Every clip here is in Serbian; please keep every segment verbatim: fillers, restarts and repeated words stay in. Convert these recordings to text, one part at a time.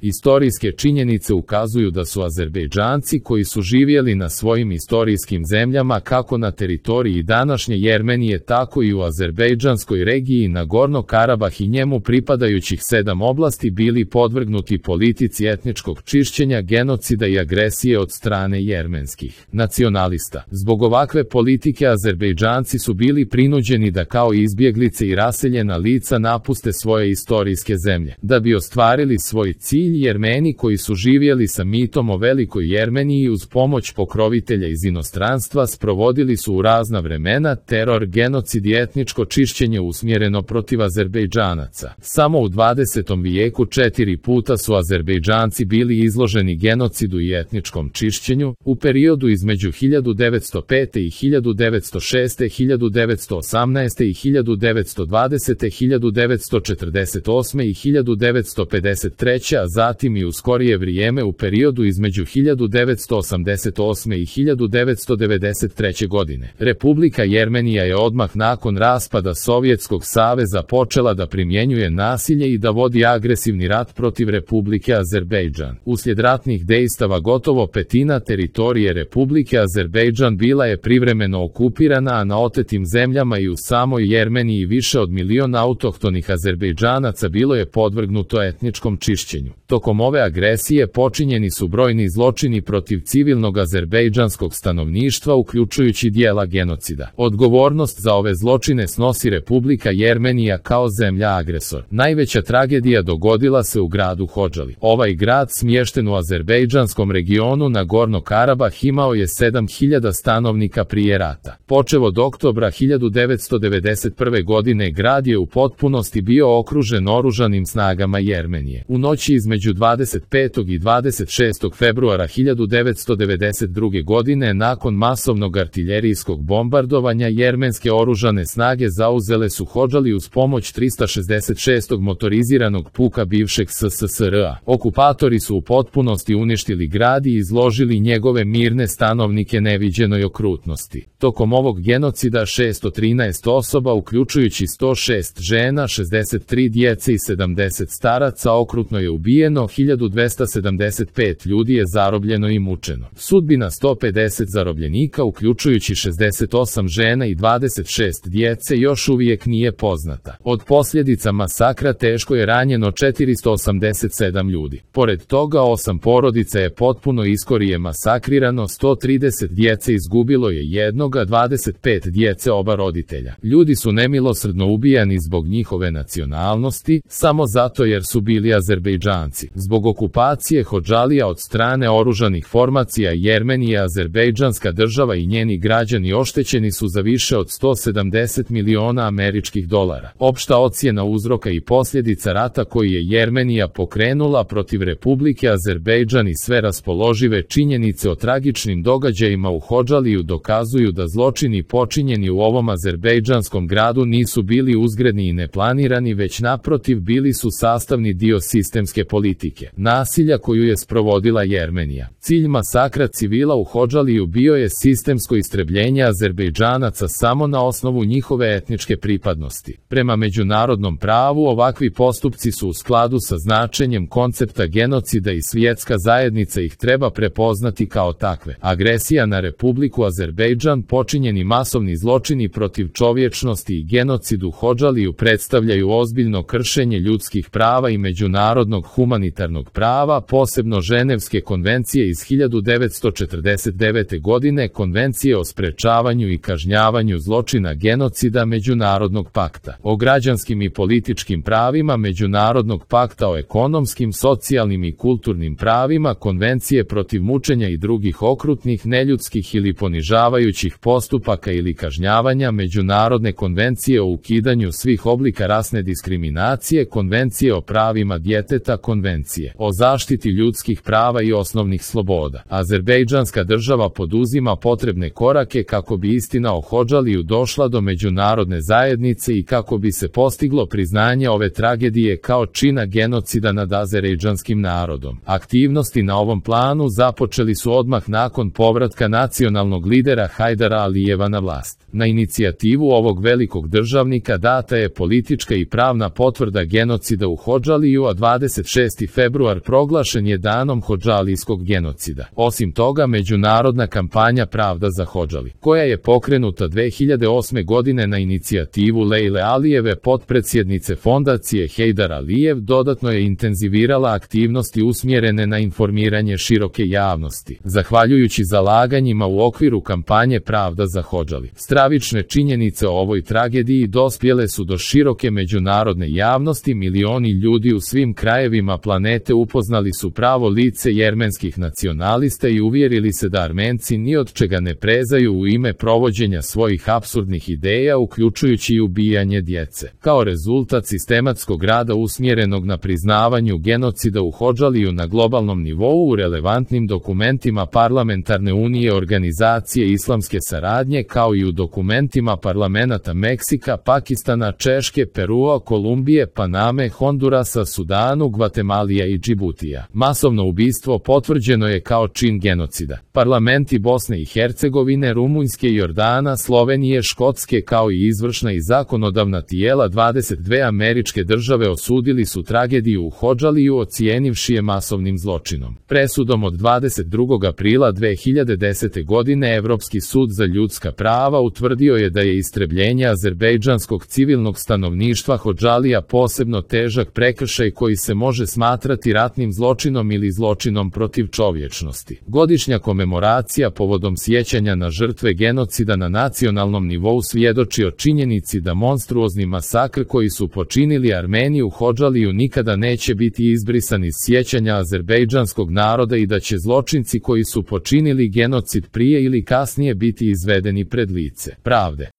Istorijske činjenice ukazuju da su Azerbejdžanci koji su živjeli na svojim istorijskim zemljama kako na teritoriji današnje Jermenije tako i u azerbejdžanskoj regiji Nagorno-Karabah i njemu pripadajućih sedam oblasti bili podvrgnuti politici etničkog čišćenja, genocida i agresije od strane jermenskih nacionalista. Zbog ovakve politike Azerbejdžanci su bili prinuđeni da kao izbjeglice i raseljena lica napuste svoje istorijske zemlje. Da bi ostvarili svoj cilj, Jermeni koji su živjeli sa mitom o velikoj Jermeniji uz pomoć pokrovitelja iz inostranstva sprovodili su u razna vremena teror, genocid i etničko čišćenje usmjereno protiv Azerbejdžanaca. Samo u dvadesetom vijeku četiri puta su Azerbejdžanci bili izloženi genocidu i etničkom čišćenju, u periodu između hiljadu devetsto pete i hiljadu devetsto šeste, hiljadu devetsto osamnaeste i hiljadu devetsto dvadesete, hiljadu devetsto četrdeset osme i hiljadu devetsto pedeset treće, a zatim i u skorije vrijeme u periodu između hiljadu devetsto osamdeset osme i hiljadu devetsto devedeset treće. godine. Republika Jermenija je odmah nakon raspada Sovjetskog saveza počela da primjenjuje nasilje i da vodi agresivni rat protiv Republike Azerbejdžan. Uslijed ratnih dejstava gotovo petina teritorije Republike Azerbejdžan bila je privremeno okupirana, a na otetim zemljama i u samoj Jermeniji više od milion autohtonih Azerbejdžanaca bilo je podvrgnuto etničkom čišćenju. Tokom ove agresije počinjeni su brojni zločini protiv civilnog azerbejdžanskog stanovništva, uključujući dijela genocida. Odgovornost za ove zločine snosi Republika Jermenija kao zemlja agresor. Najveća tragedija dogodila se u gradu Hodžali. Ovaj grad, smješten u azerbejdžanskom regionu Nagorno-Karabah, imao je sedam hiljada stanovnika prije rata. Počev od oktobra hiljadu devetsto devedeset prve. godine grad je u potpunosti bio okružen oružanim snagama Jermenije. U noći između dvadeset petog i dvadeset šestog februara hiljadu devetsto devedeset druge. godine, nakon masovnog artiljerijskog bombardovanja, jermenske oružane snage zauzele su Hodžali uz pomoć trista šezdeset šestog motoriziranog puka bivšeg S S S R A. Okupatori su u potpunosti uništili grad i izložili njegove mirne stanovnike neviđenoj okrutnosti. Tokom ovog genocida šesto trinaest osoba, uključujući sto šest žena, šezdeset tri djece i sedamdeset staraca, okrutno je ubijeno, hiljadu dvesta sedamdeset pet ljudi je zarobljeno i mučeno. Sudbina sto pedeset zarobljenika, uključujući šezdeset osam žena i dvadeset šest djece, još uvijek nije poznata. Od posljedica masakra teško je ranjeno četiristo osamdeset sedam ljudi. Pored toga, osam porodica je potpuno iskorije masakrirano, sto trideset djece izgubilo je jednoga, dvadeset pet djece oba roditelja. Ljudi su nemilosrdno ubijani zbog njihove nacionalnosti, samo zato jer su bili Azerbejdžanci. Zbog okupacije Hodžalija od strane oružanih formacija Jermenije, azerbejdžanska država i njeni građani oštećeni su za više od sto sedamdeset miliona američkih dolara. Opšta ocjena uzroka i posljedica rata koji je Jermenija pokrenula protiv Republike Azerbejdžan i sve raspoložive činjenice o tragičnim događajima u Hodžaliju dokazuju da zločini počinjeni u ovom azerbejdžanskom gradu nisu bili uzgredni i neplanirani, već naprotiv bili su sastavni dio sistemske politike nasilja koju je sprovodila Jermenija. Cilj masakra civila u Hodžaliju bio je sistemsko istrebljenje Azerbejdžanaca samo na osnovu njihove etničke pripadnosti. Prema međunarodnom pravu ovakvi postupci su u skladu sa značenjem koncepta genocida i svjetska zajednica ih treba prepoznati kao takve. Agresija na Republiku Azerbejdžan, počinjeni masovni zločini protiv čovječnosti i genocid u Hodžaliju predstavljaju ozbiljno kršenje ljudskih prava i međunarodnog humanitarnog prava, posebno Ženevske konvencije iz hiljadu devetsto četrdeset devete. godine, Konvencije o sprečavanju i kažnjavanju zločina genocida, Međunarodnog pakta o građanskim i političkim pravima, Međunarodnog pakta o ekonomskim, socijalnim i kulturnim pravima, Konvencije protiv mučenja i drugih okrutnih, neljudskih ili ponižavajućih postupaka ili kažnjavanja, Međunarodne konvencije o ukidanju svih oblika rasne diskriminacije, Konvencije o pravima djeteta, Konvencije o zaštiti ljudskih prava i osnovnih sloboda. Azerbejdžanska država poduzima potrebne korake kako bi istina o Hodžaliju došla do međunarodne zajednice i kako bi se postiglo priznanje ove tragedije kao čina genocida nad azerbejdžanskim narodom. Aktivnosti na ovom planu započeli su odmah nakon povratka nacionalnog lidera Hajdara Alijeva na vlast. Na inicijativu ovog velikog državnika data je politička i pravna potvrda genocida u Hodžaliju, a dvadeset šestog šesti februar proglašen je danom hodžalijskog genocida. Osim toga, međunarodna kampanja Pravda za Hodžali, koja je pokrenuta dve hiljade osme godine na inicijativu Lejle Alijeve, potpredsjednice fondacije Hejdar Alijev, dodatno je intenzivirala aktivnosti usmjerene na informiranje široke javnosti. Zahvaljujući zalaganjima u okviru kampanje Pravda za Hodžali, stravične činjenice o ovoj tragediji dospjele su do široke međunarodne javnosti. Milioni ljudi u svim krajevima planete upoznali su pravo lice jermenskih nacionalista i uvjerili se da Armenci ni od čega ne prezaju u ime provođenja svojih apsurdnih ideja, uključujući i ubijanje djece. Kao rezultat sistematskog rada usmjerenog na priznavanju genocida u Hodžaliju na globalnom nivou, u relevantnim dokumentima Parlamentarne unije Organizacije islamske saradnje, kao i u dokumentima parlamenata Meksika, Pakistana, Češke, Perua, Kolumbije, Paname, Hondurasa, Sudanu, Gvatemalija i Džibutija. Masovno ubistvo potvrđeno je kao čin genocida. Parlamenti Bosne i Hercegovine, Rumunjske, Jordana, Slovenije, Škotske, kao i izvršna i zakonodavna tijela dvadeset dve američke države osudili su tragediju u Hodžaliju, ocijenivši je masovnim zločinom. Presudom od dvadeset drugog aprila dve hiljade desete godine Evropski sud za ljudska prava utvrdio je da je istrebljenje azerbejdžanskog civilnog stanovništva Hodžalija posebno težak prekršaj koji se može smatrati ratnim zločinom ili zločinom protiv čovječnosti. Godišnja komemoracija povodom sjećanja na žrtve genocida na nacionalnom nivou svjedoči o činjenici da monstruozni masakr koji su počinili Armeni u Hodžaliju nikada neće biti izbrisan iz sjećanja azerbejdžanskog naroda i da će zločinci koji su počinili genocid prije ili kasnije biti izvedeni pred lice pravde.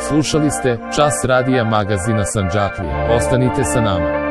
Slušali ste Čas radija magazina Sandžaklija. Ostanite sa nama.